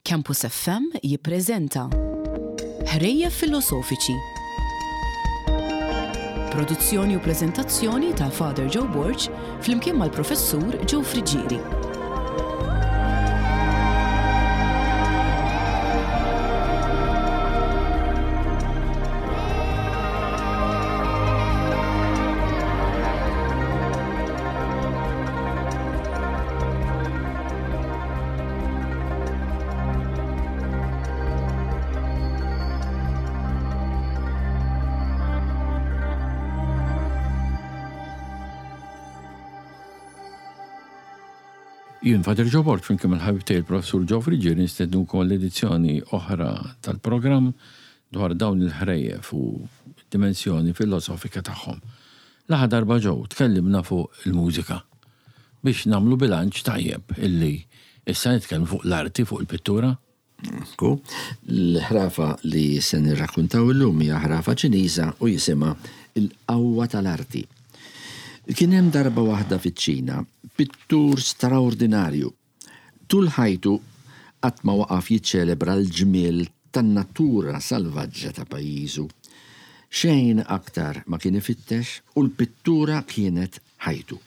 Campus FM jippreżenta Ħrejjef Filosofiċi. Produzzjoni u preżentazzjoni ta' Father Joe Borg flimkien mal-Professur Joe Friggieri. Jien Father Joe Borg flimkien mal-ħabib tiegħi l-Professur Joe Friggieri nistednukom għal edizzjoni oħra tal-programm dwar dawn il-ħrejjef u d-dimensjoni filosofika tagħhom. L-aħħar darba Joe tkellimna fuq il-mużika. Biex nagħmlu bilanċ tajjeb illi issa nitkellmu fuq l-arti, fuq il-pittura. Ekku, l-ħrafa li se nirrakkuntaw illum hija ħrafa Ċiniża u jisimha Il-Qawwa tal-Arti. Kien hemm darba waħda fiċ-Ċina pittur straordinarju. Tul ħajtu qatt ma waqaf jiċċelebra l-ġmiel tan-natura salvaġġa ta' pajjiżu. Xejn aktar ma kien ifittex u l-pittura kienet ħajtu.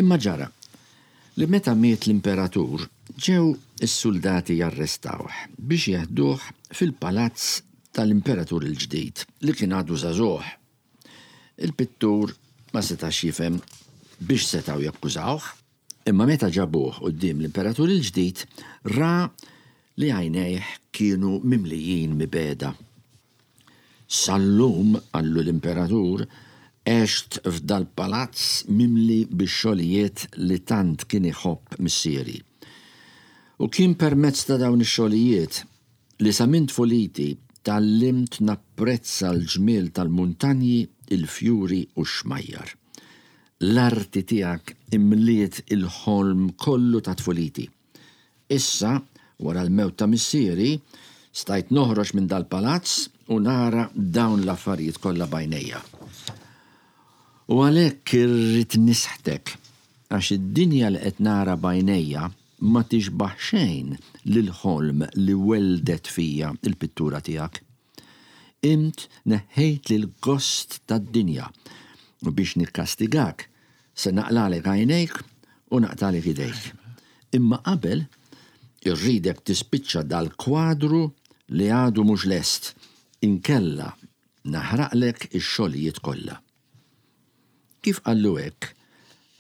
Imma ġara li meta miet l-imperatur ġew is-suldati jarrestawh biex jeħduh fil-palazz tal-imperatur il-ġdid li kien għadu żagħżugħ. Il-pittur ma setax jifhem biex setgħu jakkużawh, imma meta ġabuh quddiem l-imperatur il-ġdid ra li għajnejh kienu mimlijin mibegħda. Sal-lum, qallu l-imperatur, għext f'dal-palazz mimli bix-xogħlijiet li tant kien iħobb missieri. U kien permezz ta' dawn ix-xogħlijiet li sa minn tfuliti tgħallimt napprezza l-ġmiel tal-muntanji, il-fjuri u x-xmajjar. L-arti tiegħek imliet il-ħolm kollu ta' tfuliti. Issa, wara l-mewt ta' missieri, stajt noħroġ minn dal-palazz u nara dawn l-affarijiet kollha b'għajnejja. U għalhekk irrid nisħtek, għax id-dinja li qed nara b'għajnejja ma tixbah xejn lill-ħolm li welldet fija l-pittura tiegħek. Int neħħejtli l-gost tad-dinja, u biex nikkastigak se naqlagħlek għajnejk u naqtagħlek idejk. Imma qabel, irridek tispiċċa dal-kwadru li għadu mhux lest, inkella naħraqlek ix-xogħlijiet kollha. Kif qallu hekk,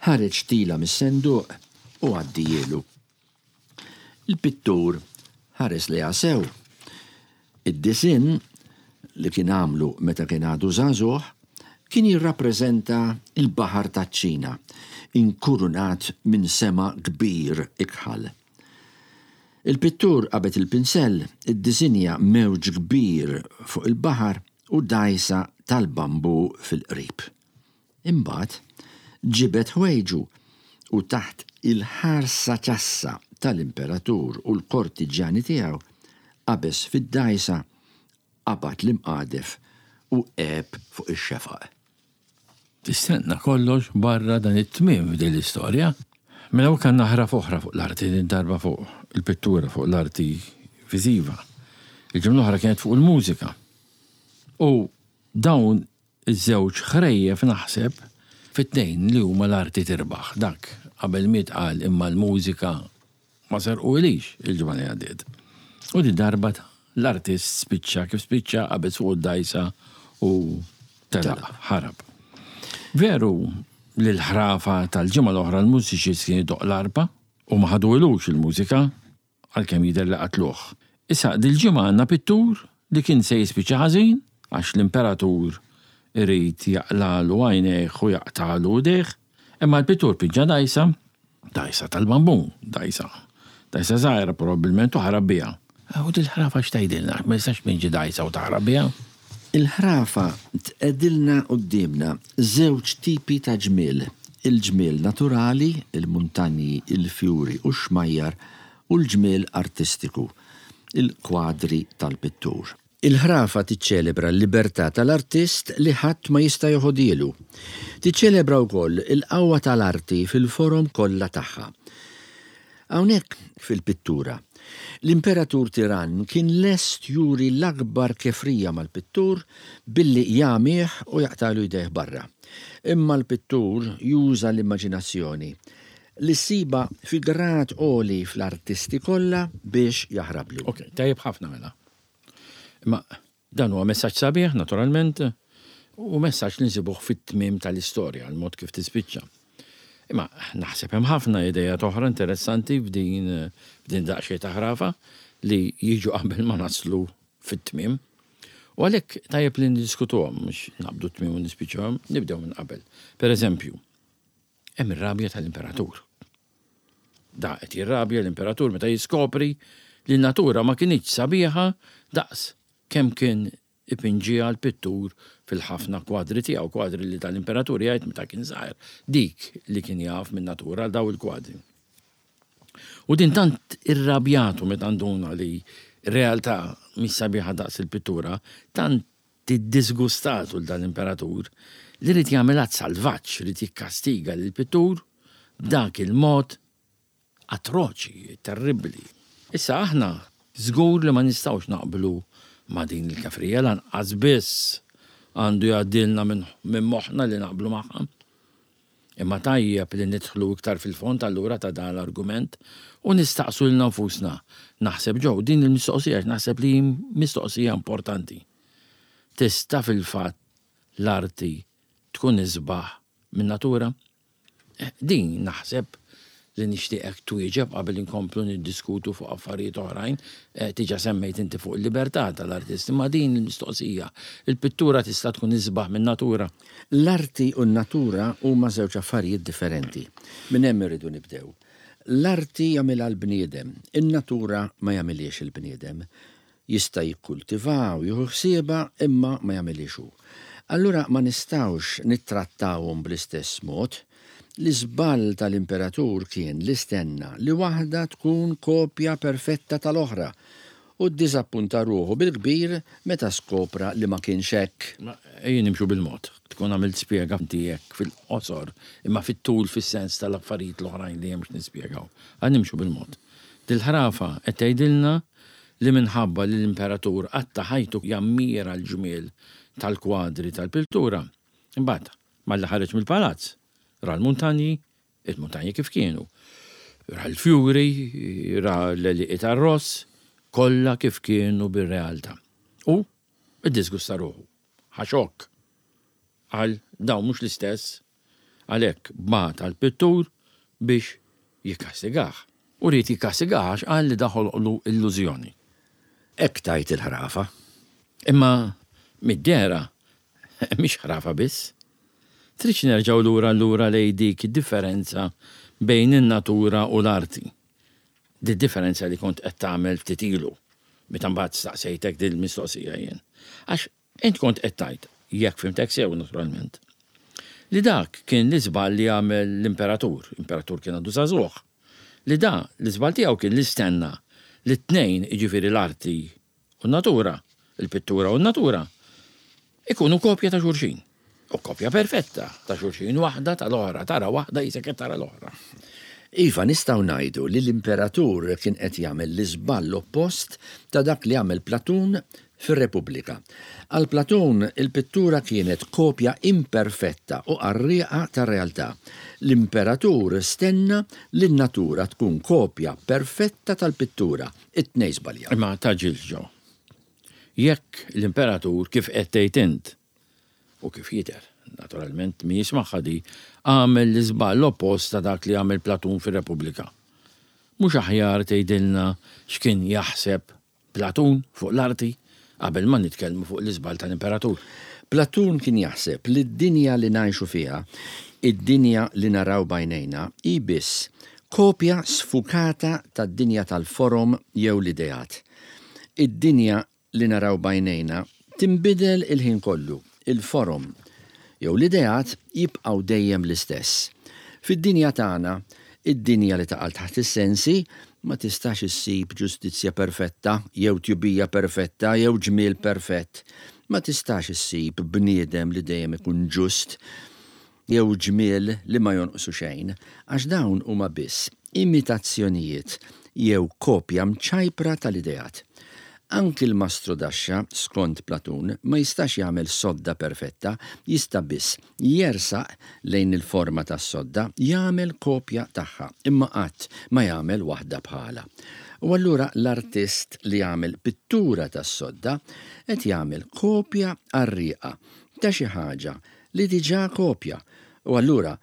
ħareġ tila mis-senduq u għaddihielu. Il-pittur ħares lejha sew. Id-disinn, li kien għamlu meta kien għadu żagħżugħ, kien jirrappreżenta l-Baħar taċ-Ċina, inkurunat minn sema kbir ikħal. Il-pittur qabed il-pinsell, iddisinja mewġ kbir fuq il-baħar u dgħajsa tal-bambù fil-qrib. Imbagħad ġibed ħwejġu u taħt il-ħarsa ċassa tal-imperatur u l-kortiġjani tiegħu qabeż fid-dgħajsa, qabad l-imqadef u għeb fuq ix-xefaq. Tistenna kollox barra dan it-tmiem f'din l-istorja. Mela hawnhekk għandna ħraf oħra fuq l-arti, din darba fuq il-pittura, fuq l-arti viżiva. Il-ġimgħa l-oħra kienet fuq il-mużika. U dawn Iż-żewġ ħrejjef naħseb fit-tnejn li huma l-arti tirbaħ. Dak qabel miet qal imma l-mużika ma serquhilix il-ġimgħa li għaddiet. U din darba l-artist spiċċa kif spiċċa qabeż fuq id-dgħajsa u telaq, ħarab. Veru li l-ħrafa tal-ġimgħa l-oħra l-mużiċist kien idoqq l-arpa u ma ħaduhilux il-mużika. Għalkemm jidher li qatluh. Issa, dil-ġimgħa għandna pittur li kien se jispiċċa ħażin għax l-imperatur irid jaqlagħlu għajnejh u jaqtagħlu idejh. Imma l-pittur pinġa dgħajsa, dgħajsa tal-bambù, dgħajsa, dgħajsa żgħira probabbilment u ħarab biha. U dil-ħrafa x'tgħidilna? Ma jistax tpinġi dgħajsa u taħrab biha? Il-ħrafa tqegħdilna quddiemna żewġ tipi ta' ġmiel, il-ġmiel naturali, il-muntanji, il-fjuri u x-xmajjar, u l-ġmiel artistiku, il-kwadri tal-pittur. Il-ħrafa tiċċelebra l-libertà tal-artist li ħadd ma jista' joħodhielu. Tiċċelebra wkoll il-qawwa tal-arti fil-forom kollha tagħha. Hawnhekk, fil-pittura, L-imperatur tirann kien lest juri l-akbar kefrija mal-pittur billi jagħmih u jaqtagħlu jdejh barra. Imma l-pittur juża l-immaġinazzjoni, li ssibha fi grad għoli fl-artisti kollha biex jaħrablu. Ok, tajjeb ħafna mela. Imma Dan huwa messaġġ sabiħ, naturalment, u messaġġ li nsibuh fit-tmiem tal-istorja, il-mod kif tispiċċa. Imma naħseb hemm ħafna ideat oħra interessanti f'din f'din daqsxejn ta' ħrafa li jiġu qabel ma naslu fit-tmiem. U għalhekk tajjeb li niddiskutuhom, mhux naqbdu t-tmiem u nispiċċawhom, nibdew minn qabel. Per eżempju, hemm ir-rabja tal-imperatur. Da qed jirrabja l-imperatur meta jiskopri li n-natura ma kinitx sabiħa daqs kemm kien ipinġiha l-pittur fil-ħafna kwadri tiegħu, kwadri li tal-imperatur jgħid meta kien żgħir, dik li kien jaf min-natura daw il-kwadri. U din tant irrabjatu meta nduna li r-realtà mhix sabiħa daqs il-pittura, tant Tiddiżgustatu 'l dan l-imperatur li ried jagħmel att salvaġġ, ried jikkastiga lill-pittur b'dak il-mod atroċi, terribbli. Issa aħna żgur li ma nistgħux naqblu ma' din il-kefrija, lanqas biss għandu jgħaddilna minn moħħna li naqblu magħha. Imma tajjeb li nidħlu iktar fil-fond allura ta' dan l-argument u nistaqsu lilna nfusna, naħseb Joe, din il-mistoqsija għax naħseb li hi mistoqsija importanti. Tista' fil-fatt l-arti tkun isbaħ min-natura? Din naħseb li nixtieqek twieġeb qabel inkomplu niddiskutu fuq affarijiet oħrajn. Diġà semmejt inti fuq il-libertà tal-artist, imma din il-mistoqsija, il-pittura tista' tkun isbaħ min-natura? L-arti u n-natura huma żewġ affarijiet differenti. Minn hemm irridu nibdew. L-arti jagħmilha l-bniedem, in-natura ma jagħmilhiex il-bniedem. Jista' jikkultivha u jieħu ħsiebha imma ma jagħmilhiex hu. Allura ma nistgħux nittrattawhom bl-istess mod. L-iżball tal-imperatur kien li stenna li waħda tkun kopja perfetta tal-oħra u ddiżappunta ruħu bil-kbir meta skopra li ma kienx hekk. Ma ejja nimxu bil-mod. Tkun għamilt spjega inti hekk fil-qosor, imma fit-tul fis-sens tal-affarijiet l-oħrajn li hemm x'nispjegaw. Ħa nimxu bil-mod. Dil-ħrafa qed tgħidilna li minħabba li l-imperatur qatta' ħajtu jammira l-ġmiel tal-kwadri tal-piltura, imbagħad malli ħareġ mill-palazz, ra l-muntanji, il-muntanji kif kienu, ra l-fjuri, ra l-għelieqi tar-ross, kollha kif kienu bir-realtà. U ddisgusta ruħu. Ħa xokk. Qal, dawn mhux l-istess. Għalhekk bagħat għall-pittur biex jikkastigah. U ried jikkastigah għax qal li da ħoloqlu illużjoni. Hekk tgħid il-ħrafa. Imma mid-dehra mhix ħrafa biss. Tridx nerġgħu lura allura lejn dik id-differenza bejn in-natura u l-arti. Did-differenza li kont qed tagħmel ftit ilu, meta mbagħad staqsejtek dil-mistoqsija jien. Għax Int kont qed tgħid, jekk fhimtek sew naturalment, li dak kien l-iżball li għamel l-imperatur, imperatur kien għadu żagħżugħ, li da l-iżball tiegħu kien li stenna li t-tnejn, jiġifieri l-arti u n-natura, il-pittura u n-natura, ikunu kopja ta' xulxin. U kopja perfetta ta' xulxin, waħda tal-oħra, tara waħda qisek qed tara l-oħra. Iva, nistgħu ngħidu li l-imperatur kien qed jagħmel l-iżball oppost ta' dak li għamel Platun fir-Repubblika. Għal Platun, il-pittura kienet kopja imperfetta u qarrieqa tar-realtà. L-imperatur stenna li n-natura tkun kopja perfetta tal-pittura. It-tnejn żbaljaw. Imma tgħaġġilx, Joe. Jekk l-imperatur, kif qed tgħid int, u kif jidher, naturalment, min jismagħha di, għamel l-iżball oppost ta' dak li għamel Platun fir-Repubblika. Mhux aħjar tgħidilna x'kien jaħseb Platun fuq l-arti qabel ma nitkellmu fuq l-iżball tal-imperatur? Platun kien jaħseb li d-dinja li ngħixu fiha, id-dinja li naraw b'għajnejna, hi biss kopja sfukata tad-dinja tal-forom jew l-ideat. Id-dinja li naraw b'għajnejna tinbidel il-ħin kollu, il-forom jew l-ideat jibqgħu dejjem l-istess. Fid-dinja tagħna, id-dinja li taqa' taħt is-sensi, ma tistax issib ġustizzja perfetta jew tjubija perfetta jew ġmiel perfett. Ma tistax issib bniedem li dejjem ikun ġust jew ġmiel li ma jonqsu xejn, għax dawn huma biss imitazzjonijiet. jew kopja mċajpra tal-ideat. Anki l-mastrudaxxa, skont Platun, ma jistax jagħmel sodda perfetta, jista' biss jersaq lejn il-forma tas-sodda, jagħmel kopja tagħha, imma qatt ma jagħmel waħda bħalha. U allura l-artist li jagħmel pittura tas-sodda qed jagħmel kopja qarrieqa ta' xi ħaġa li diġà kopja, u allura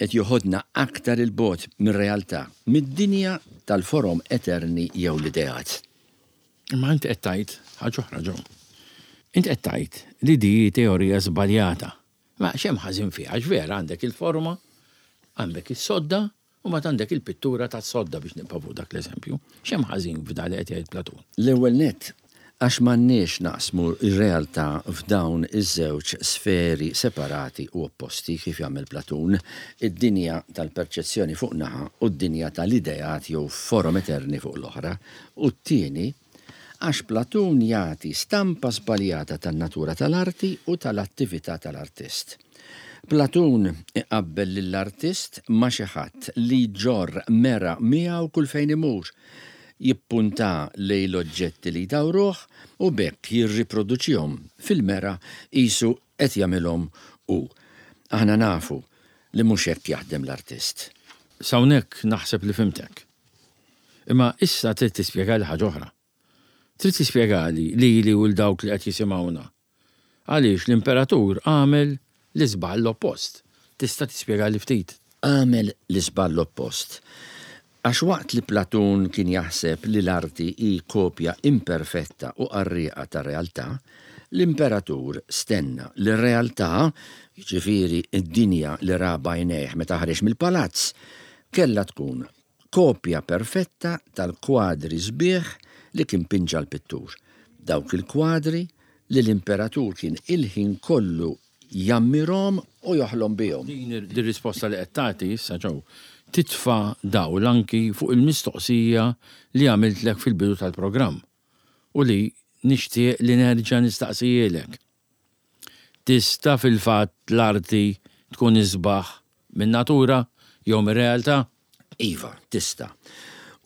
qed joħodna aktar 'il bogħod mir-realtà, mid-dinja tal-forom eterni jew l-ideat. Imma int qed tgħid ħaġa oħra, Joe. Int qed tgħid li di hi teorija żbaljata. Ma x'hemm ħażin fiha? Għax vera għandek il-forma, għandek is-sodda, u mbagħad għandek il-pittura tas-sodda biex nibqa' fuq dak l-eżempju. X'hemm ħażin f'dan li qed jgħid Platun? L-ewwel nett, għax m'għandniex naqsmu r-realtà f'dawn iż-żewġ sferi separati u opposti kif jagħmel Platun, id-dinja tal-perċezzjoni fuq naħa u d-dinja tal-ideat jew forom eterni fuq l-oħra, u t-tieni, għax Platun jagħti stampa żbaljata tan-natura tal-arti u tal-attività tal-artist. Platun iqabbel lill-artist ma' xi ħadd li jġorr mera miegħu kull fejn imur, jippunta lejn l-oġġetti li jdawruh u b'hekk jirriproduċihom fil-mera qisu qed jagħmilhom hu. Aħna nafu li mhux hekk jaħdem l-artist. S'hawnhekk naħseb li fhimtek. Imma issa trid tispjegali ħaġa oħra. Trid tispjegali lili u 'l dawk li qed jisimgħuna Għaliex l-imperatur għamel l-iżball oppost? Tista' tispjegali ftit? Għamel l-iżball oppost għax waqt li Platun kien jaħseb li l-arti hi kopja imperfetta u qarrieqa tar-realtà, l-imperatur stenna li r-realtà, jiġifieri d-dinja li ra b'għajnejh meta ħareġ mill-palazz, kellha tkun kopja perfetta tal-kwadri sbieħ li kien pinġa l-pittur, dawk il-kwadri li l-imperatur kien il-ħin kollu jammirhom u joħlom bihom. Din ir-risposta li qed tagħti issa, Joe, titfa' dawl anki fuq il-mistoqsija li għamiltlek fil-bidu tal-programm u li nixtieq li nerġa' nistaqsihielek. Tista' fil-fatt l-arti tkun isbaħ min-natura jew mir-realtà? Iva, tista'.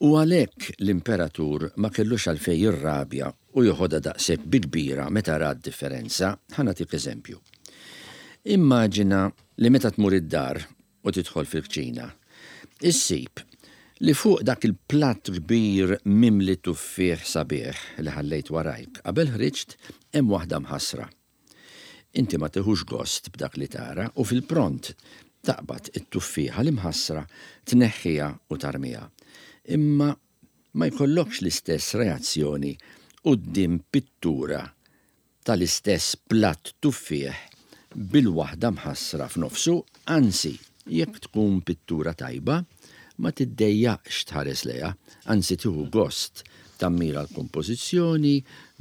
U għalhekk l-imperatur ma kellux għalfejn jirrabja u joħodha daqshekk bi kbira meta ra d-differenza. Ħa nagħtik eżempju. Immaġina li meta tmur id-dar u tidħol fil-kċina, issib li fuq dak il-platt kbir mimli tuffieħ sabiħ li ħallejt warajk qabel ħriġt hemm waħda mħassra. Inti ma tiħux gost b'dak li tara u fil-pront taqbad it-tuffieħa l-imħassra, tneħħiha u tarmiha. Imma ma jkollokx l-istess reazzjoni quddiem pittura tal-istess platt tuffieħ bil-waħda mħassra f'nofsu, anzi, jekk tkun pittura tajba, ma tiddejjaqx tħares lejha, anzi tieħu gost tammira l-kompożizzjoni,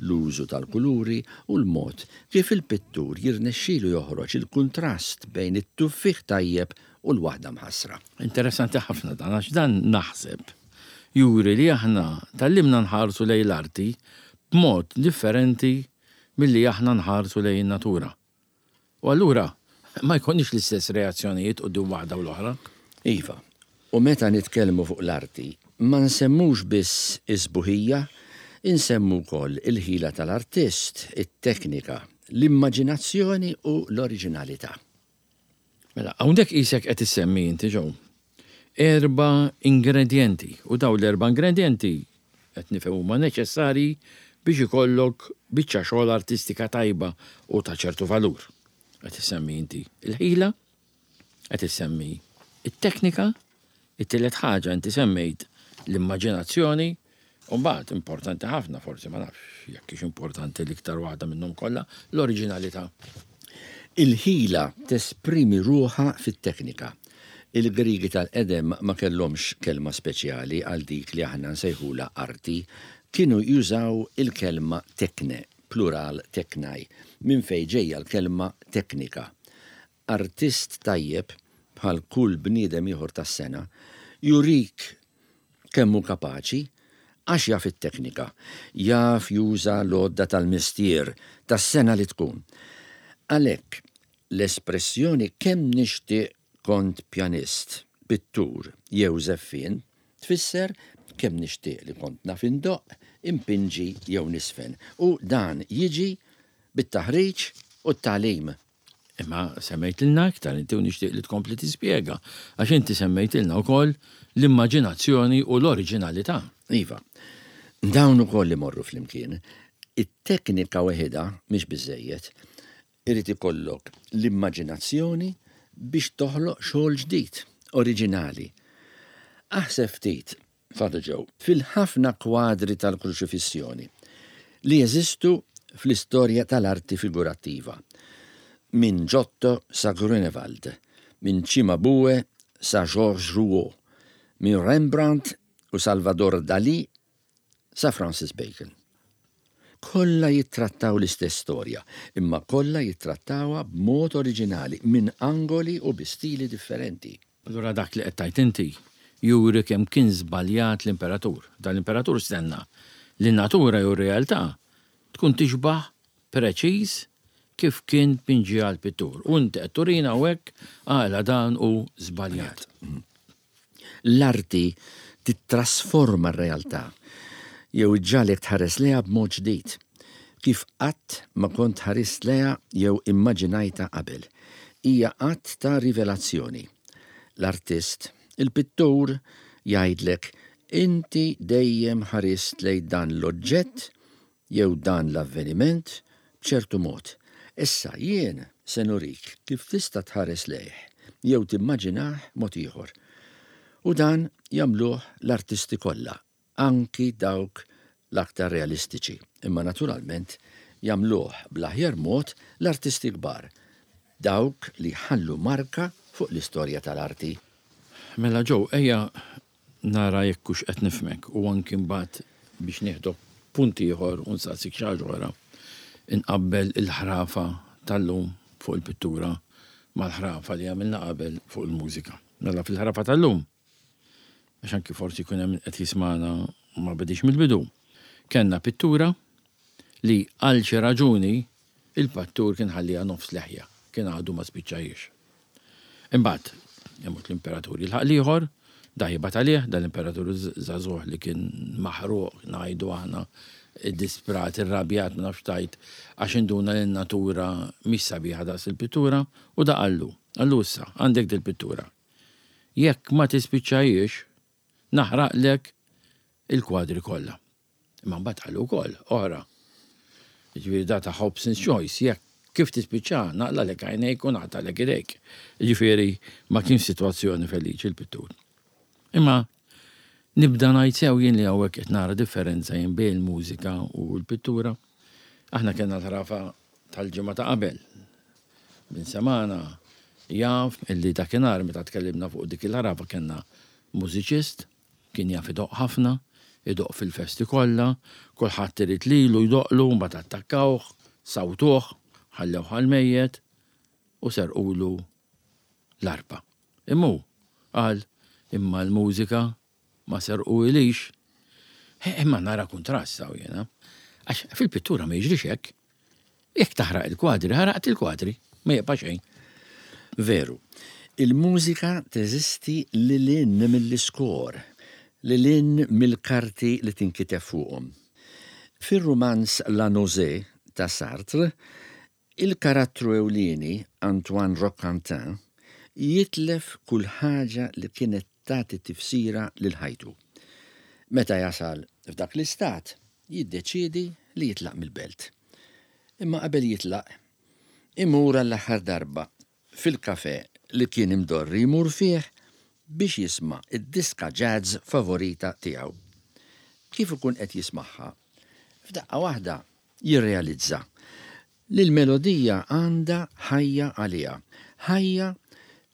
l-użu tal-kuluri u l-mod kif il-pittur jirnexxilu joħroġ il-kuntrast bejn it-tuffieħ tajjeb u l-waħda mħassra. Interessanti ħafna dan għax dan naħseb juri li aħna tgħallimna nħarsu lejn l-arti b'mod differenti milli aħna nħarsu lejn in-natura. U allura ma jkollniex l-istess reazzjonijiet quddiem waħda u l-oħra. Iva, u meta nitkellmu fuq l-arti, ma nsemmux biss is-sbuħija, insemmu wkoll il-ħila tal-artist, it-teknika, l-immaġinazzjoni u l-oriġinalità. Mela, hawnhekk qisek qed issemmi inti Joe, erba' ingredjenti u dawn l-erba' ingredjenti qed nifhem huma neċessarji biex ikollok biċċa xogħol artistika tajba u ta' ċertu valur. Qed issemmi inti l-ħila, qed issemmi t-teknika, it-tielet ħaġa inti semmejt l-immaġinazzjoni U mbagħad importanti ħafna, forsi ma nafx jekk hix importanti l-iktar waħda minnhom kollha, l-oriġinalità. Il-ħila tesprimi ruħha fit-teknika. Il-Griegi tal-qedem ma kellhomx kelma speċjali għal dik li aħna nsejħulha arti. Kienu jużaw il-kelma tekne, plural teknai, minn fejn ġejja l-kelma teknika. Artist tajjeb, bħal kull bniedem ieħor tas-sengħa, jurik kemm hu kapaċi għax jaf it-teknika, jaf juża l-għodda tal-mestier, tas-sengħa li tkun. Għalhekk, l-espressjoni kemm nixtieq kont pjanist, pittur jew żeffien tfisser Kemm nixtieq li kont naf indoqq, inpinġi jew niżfen. U dan jiġi bit-taħriġ u t-tagħlim. Imma semmejtilna iktar inti u nixtieq li tkompli tispjega, għax inti semmejtilna wkoll l-immaġinazzjoni u l-oriġinalità. Iva. Dawn ukoll imorru flimkien. It-teknika weħidha mhix biżżejjed. Irid ikollok l-immaġinazzjoni biex toħloq xogħol ġdid, oriġinali. Aħseb ftit, Father Joe, fil-ħafna kwadri tal-Kruċifissjoni li jeżistu fl-istorja tal-arti figurattiva, minn Giotto sa Grünewald, minn Cimabue sa Georges Rouault, minn Rembrandt u Salvador Dalí sa Francis Bacon. Kollha jittrattaw l-istess storja, imma kollha jittrattawha b'mod oriġinali, minn angoli u bi stili differenti. Allura dak li qed tgħid inti juri kemm kien żbaljat l-imperatur. Dan l-imperatur stenna li n-natura jew ir-realtà tkun tixbah preċiż kif kien pinġiha l-pittur. U inti qed turina hawnhekk għala dan hu żbaljat. L-arti tittrasforma r-realtà jew iġġagħlek tħares lejha b'mod ġdid, kif qatt ma kont ħarist lejha jew immaġinajtha qabel. Hija att ta' rivelazzjoni. L-artist, il-pittur, jgħidlek, inti dejjem ħarist lejn dan l-oġġett jew dan l-avveniment b'ċertu mod. Issa jien se nurik kif tista' tħares lejh jew timmaġinah mod ieħor. U dan jagħmluh l-artisti kollha, anki dawk l-aktar realistiċi. Imma naturalment jagħmluh bl-aħjar mod l-artisti kbar, dawk li jħallu marka fuq l-istorja tal-arti. Mela Joe, ejja nara jekk hux qed nifhmek u anki mbagħad biex nieħdok punt ieħor u nsaqsik xi ħaġa oħra, inqabbel il-ħrafa tal-lum fuq il-pittura mal-ħrafa li għamilna qabel fuq il-mużika. Mela fil-ħrafa tal-lum, għax anki forsi jkun hemm min qed jismagħna u ma bediex mill-bidu, kellna pittura li għal xi raġuni il-pattur kien ħalliha nofs leħja, kien għadu ma spiċċahiex. Imbagħad, imut l-imperatur jilħaq l-ieħor, da jibgħat għalih, dan l-imperatur żagħżugħ li kien maħruq, ngħidu aħna, iddisprat, irrabjat, ma nafx tgħid, għax induna li n-natura mhix sabiħa daqs il-pittura, u da qallu, qallu issa, għandek dil-pittura. Jekk ma tispiċċahiex, naħraqlek il-kwadri kollha. Imma mbagħad qalu wkoll oħra. Jiġifieri da ta' Hobson's Choice, jekk kif tispiċċa naqlalek għajnejk u naqtalek idejk. Jiġifieri ma kienx sitwazzjoni feliċi l-pittur. Imma nibda ngħid sew jien li hawnhekk qed nara differenza jien bejn il-mużika u l-pittura. Aħna kellna l-ħrafa tal-ġimgħa ta' qabel. Min semana jaf illi dakinhar meta tkellimna fuq dik il-ħrafa kellna mużiċist Kien jaf idoqq ħafna, idoqq fil-festi kollha, kulħadd irid lilu jdoqqlu, mbagħad attakkawh, sawtuh, ħallewh għall-mejjet u serqulu l-arpa. Imma hu qal, imma l-mużika ma serquhilix. Imma nara kuntrast hawn jiena. Għax fil-pittura ma jiġrix hekk. Jekk taħraq il-kwadri, ħaraqt il-kwadri, ma jibqa' xejn. Veru. Il-mużika teżisti lil hinn mill-iskor, lil hinn mill-karti li tinkiteb fuqhom. Fir-rumanz La Nausée ta' Sartre, il-karattru ewlieni, Antoine Roquentin, jitlef kull ħaġa li kienet tagħti tifsira lil ħajtu. Meta jasal f'dak l-istat, jiddeċiedi li jitlaq mill-belt. Imma qabel jitlaq, imur għall-aħħar darba fil-kafè li kien imdorri jmur fih biex jisma' d-diska jazz favorita tiegħu. Kif ikun qed jismagħha, f'daqqa waħda jirrealizza li l-melodija għandha ħajja għaliha, ħajja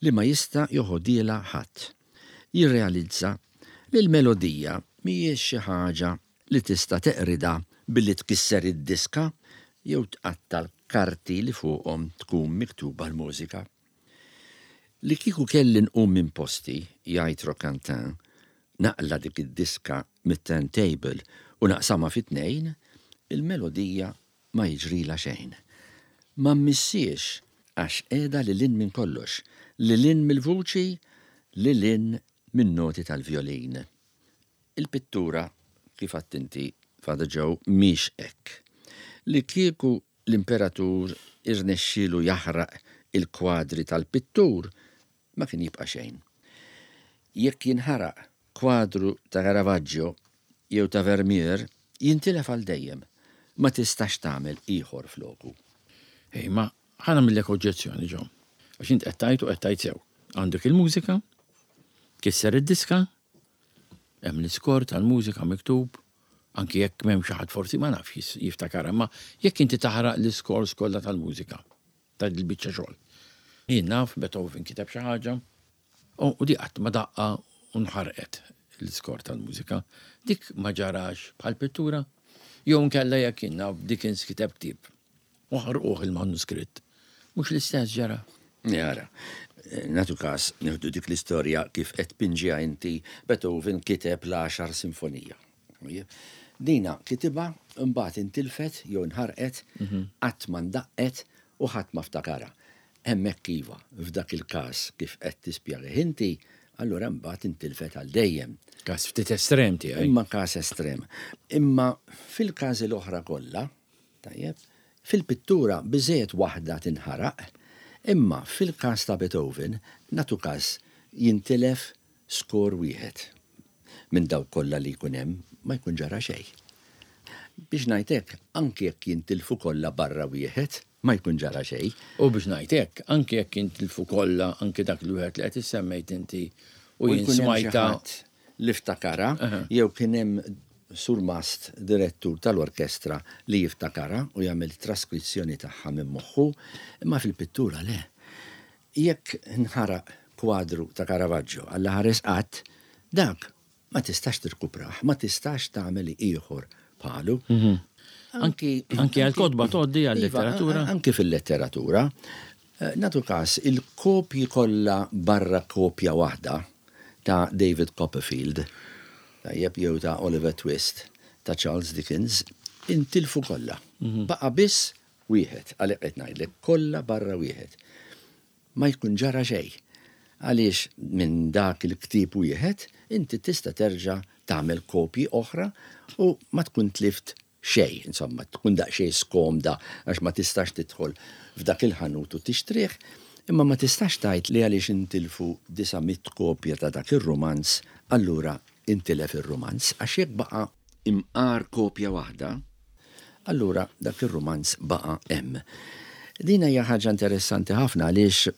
li ma jista' joħodhielha ħadd. Jirrealizza li l-melodija mhijiex xi ħaġa li tista' teqridha billi tkisser id-diska jew tqatta' l-karti li fuqhom tkun miktuba l-mużika. Li kieku kelli nqum minn posti, jgħid Roquentin, naqla' dik id-diska mit-turntable u naqsamha fi tnejn, il-melodija ma jiġrilha xejn. Ma mmissiex għax qiegħda lil hinn minn kollox, lil hinn mill-vuċi, lil hinn min-noti tal-vjolin. Il-pittura, kif għedt inti, Father Joe, mhix hekk. Li kieku l-imperatur irnexxielu jaħraq il-kwadri tal-pittur, ma kien jibqa' xejn. Jekk jinħaraq kwadru ta' Caravaggio jew ta' Vermeer, jintilef għal dejjem. Ma tistax tagħmel ieħor floku. Imma ħa nagħmillek oġġezzjoni, Joe. Għax int qed tgħid u qed tgħid sew. Għandek il-mużika, kisser id-diska, hemm l-iskor tal-mużika miktub, anki jekk m'hemm xi ħadd forsi ma nafx jiftakar, imma jekk inti taħraq l-iskors kollha tal-mużika ta' dil-biċċa xogħol. Jien naf Beethoven kiteb xi ħaġa u di qatt ma daqqa u nħarqet l-iskor tal-mużika. Dik ma ġarax bħal pittura. Jew nkella jekk jien naf Dickens kiteb ktieb u ħarquh il-manuskritt. Mhux l-istess ġara. Jara, nagħtu każ nieħdu dik l-istorja kif qed tpinġiha inti, Beethoven kiteb l-għaxar sinfonija. Dina kitibha mbagħad intilfet jew inħarqet, qatt ma ndaqqet u ħadd ma ftakarha. Hemmhekk iva, f'dak il-każ kif qed tispjegih inti, allura mbagħad intilfet għal dejjem. Każ ftit estrem tiegħi. Imma każ estrem. Imma fil-każi l-oħra kollha, tajjeb, fil-pittura biżżejjed waħda tinħaraq, imma fil-każ ta' Beethoven, nagħtu każ jintilef skor wieħed minn dawk kollha li jkun hemm, ma jkun ġara xejn. Biex ngħid hekk, anki jekk jintilfu kollha barra wieħed, ma jkun ġara xejn. U biex ngħid hekk, anki jekk jintilfu kollha, anki dak l-wieħed li qed issemmejt inti u jien smajta. Li ftakarha, jew kien hemm surmast direttur tal-orkestra li jiftakarha u jagħmel traskrizzjoni tagħha minn moħħu, imma fil-pittura le. Jekk nħaraq kwadru ta' Caravaggio Alla ħares qatt, dak ma tistax tirkuprah, ma tistax tagħmel ieħor bħalu. Anki anki għall-kotba tgħoddi għal-letteratura? Anki fil-letteratura. Nagħtu każ, il-kopji kollha barra kopja waħda ta' David Copperfield, tajjeb, jew ta' Oliver Twist ta' Charles Dickens, intilfu kollha. Baqa' biss wieħed, għalhekk qed ngħidlek, kollha barra wieħed. Ma jkun ġara xejn. Għaliex minn dak il-ktieb wieħed inti tista' terġa' tagħmel kopji oħra u ma tkun tlift xejn, insomma, tkun daqsxejn skomda għax ma tistax tidħol f'dak il-ħanut u tixtrih, imma ma tistax tgħid li għaliex intilfu 900 kopja ta' dak ir-rumanz, allura intilef ir-rumanz, għax jekk baqa' imqar kopja waħda, allura dak ir-rumanz baqa' hemm. Din hija ħaġa interessanti ħafna għaliex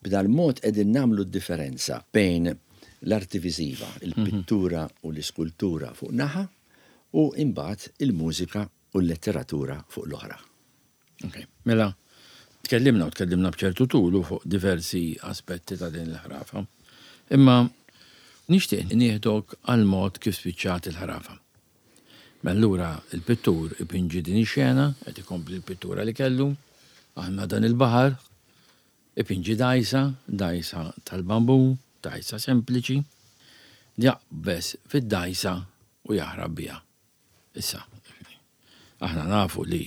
b'dal-mod qegħdin nagħmlu d-differenza bejn l-arti viżiva, il-pittura u l-iskultura fuq naħa u imbagħad il-mużika u l-letteratura fuq l-oħra. Ok, mela tkellimna u tkellimna b'ċertu tul fuq diversi aspetti ta' din il-ħrafa. Imma nixtieq nieħdok għal mod kif spiċċat il-ħrafa. Mela allura il-pittur ipinġi din ix-xena, qed ikompli l-pittura li kellu, għandna dan il-baħar, ipinġi dgħajsa, dgħajsa tal-bambu, dgħajsa sempliċi, jaqbeż fid-dgħajsa u jaħrab biha. Issa, aħna nafu li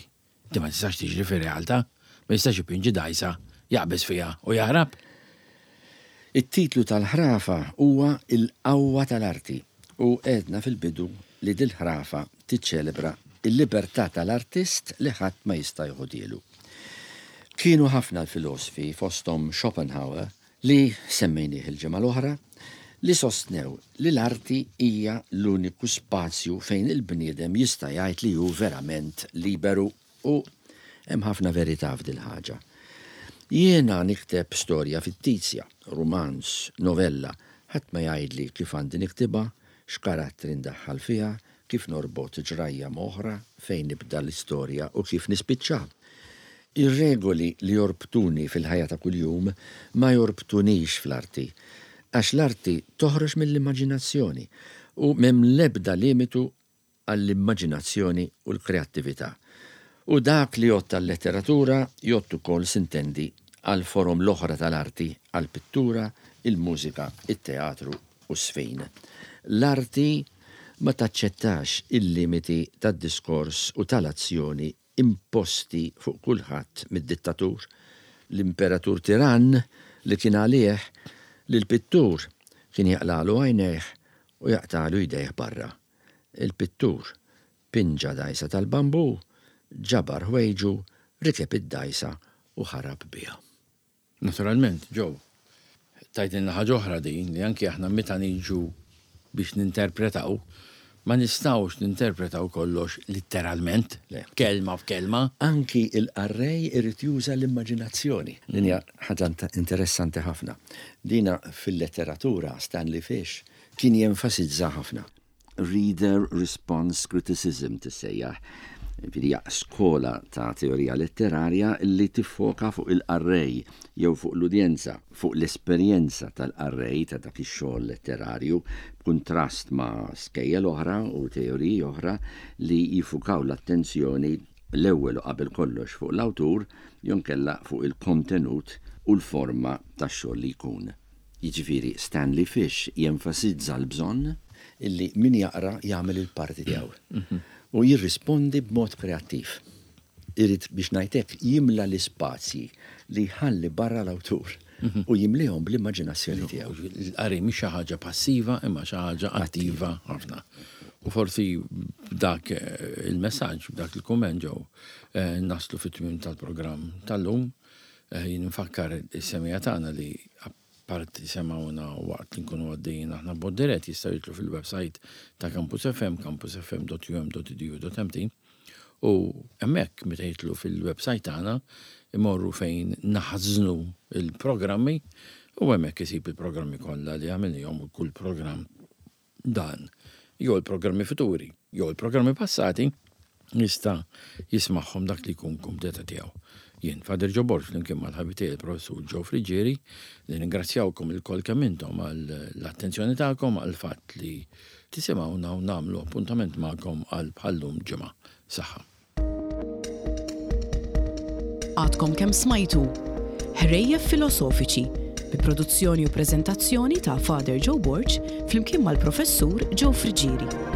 Di ma tistax tiġri fir-realtà, ma jistax ipinġi dgħajsa, jaqbeż fiha u jaħrab. It-titlu tal-ħrafa huwa Il-Qawwa tal-Arti u għedna fil-bidu li dil-ħrafa tiċċelebra l-libertà tal-artist li ħadd ma jista' joħodhielu. Kienu ħafna l-filosfi fosthom Schopenhauer li semmejnieh il-ġimgħa l-oħra, li sostnew li l-arti hija l-uniku spazju fejn il-bniedem jista' jgħid li hu verament liberu u hemm ħafna verità f'dil-ħaġa. Jiena nikteb storja fittizja, rumanz, novella, ħadd ma jgħidli kif għandi niktibha, x'karattri ndaħħal fiha, kif norbot ġrajja m'oħra, fejn nibda l-istorja u kif nispiċċa. Ir-regoli li jorbtuni fil-ħajja ta' kuljum ma jorbtunix fl-arti, għax l-arti toħroġ mill-immaġinazzjoni u m'hemm l-ebda limitu għall-immaġinazzjoni u l-kreattività. U dak li jgħodd għal-letteratura jgħodd ukoll, sintendi, għall-forom l-oħra tal-arti, għall-pittura, il-mużika, it-teatru u ż-żfin. L-arti ma taċċettax il-limiti tad-diskors u tal-azzjoni imposti fuq kulħadd mid-dittatur, l-imperatur tirann li kien għalih li l-pittur kien jaqlagħlu għajnejh u jaqtagħlu jdejh barra. Il-pittur pinġa dgħajsa tal-bambù, ġabar ħwejġu, rikeb id-dgħajsa u ħarab biha. Naturalment, Joe, tgħidilna ħaġa oħra din li anki aħna meta niġu biex ninterpretaw, ma nistgħux ninterpretaw kollox litteralment, kelma f'kelma. Anki l-qarrej irid juża l-immaġinazzjoni. Din hija ħaġa interessanti ħafna. Dina fil-letteratura Stanley Fish kien jenfasizza ħafna. Reader Response Criticism tissejjaħ. Jiġifieri hija skola ta' teorija letterarja li tiffoka fuq il-qarrej jew fuq l-udjenza, fuq l-esperjenza tal-qarrej ta' dak ix-xogħol letterarju, b'kuntrast ma' skejjel oħra u teoriji oħra li jiffukaw l-attenzjoni l-ewwel u qabel kollox fuq l-awtur jew inkella fuq il-kontenut u l-forma tax-xogħol li jkun. Jiġifieri Stanley Fish jenfasizza l-bżonn illi min jaqra jagħmel il-parti tiegħu u jirrispondi b'mod kreattiv. Irid, biex ngħid hekk, jimla l-ispazji li jħalli barra l-awtur u jimlihom bl-immaġinazzjoni tiegħu. Il-qari mhix xi ħaġa passiva imma xi ħaġa attiva ħafna. U forsi b'dak il-messaġġ, b'dak il-kumment Joe, naslu fit-tmiem tal-programm tal-lum. Jien infakkar is-semgħa tagħna li apparti semgħuna waqt li nkunu għaddejjin aħna b'mod dirett jistgħu jidħlu fil-website ta' Campus FM, campusfm.um.edu.mt u hemmhekk meta jidħlu fil-website tagħna imorru fejn naħżnu il-programmi u hemmhekk isib il-programmi kollha li għamilnihom u kull programm dan, jew il-programmi futuri, jew il-programmi passati, jista' jismagħhom dak li jkun kumdeta tiegħu. Jien, Father Joe Borg, flimkien mal-ħabib tiegħi il-Professur Joe Friggieri, nirringrazzjawkom ilkoll kemm intom għall-attenzjoni tagħkom, għall-fatt li tisimgħuna u nagħmlu appuntament magħkom għal bħal-lum ġimgħa. Saħħa. Għadkom kemm smajtu Ħrejjef Filosofiċi bi produzzjoni u preżentazzjoni ta' Father Joe Borg flimkien mal-Professur Joe Friggieri.